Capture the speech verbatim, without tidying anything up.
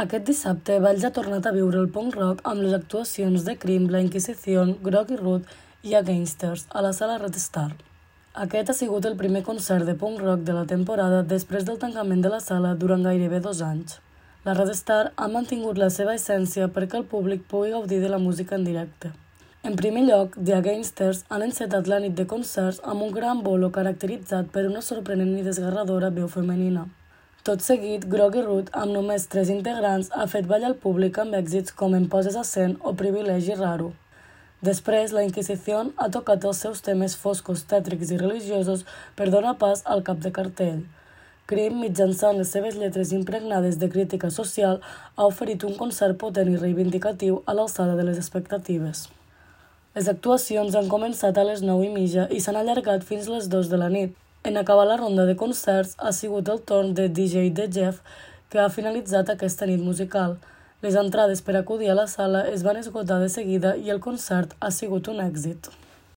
Aquest dissabte, Valls ha tornat a viure el punk rock amb les actuacions de Cream, La Inquisición, Groggy Root i Againsters a la sala Red Star. Aquest ha sigut el primer concert de punk rock de la temporada després del tancament de la sala durant gairebé dos anys. La Red Star ha mantingut la seva essència perquè el públic pugui gaudir de la música en directe. En primer lloc, The Againsters han encetat la nit de concerts amb un gran bolo caracteritzat per una sorprenent i desgarradora veu femenina. Tot seguit, Groggy Root, amb només tres integrants, ha fet ballar al públic amb èxits com Em poses a cent o Privilegi raro. Després, La Inquisición ha tocat els seus temes foscos, tètrics i religiosos per donar pas al cap de cartell. Cream, mitjançant les seves lletres impregnades de crítica social, ha oferit un concert potent i reivindicatiu a l'alçada de les expectatives. Les actuacions han començat a les nou i mitja i s'han allargat fins les dues de la nit. En acabar la ronda de concerts, ha sigut el torn de D J The Jeff, que ha finalitzat aquesta nit musical. Les entrades per acudir a la sala es van esgotar de seguida i el concert ha sigut un èxit.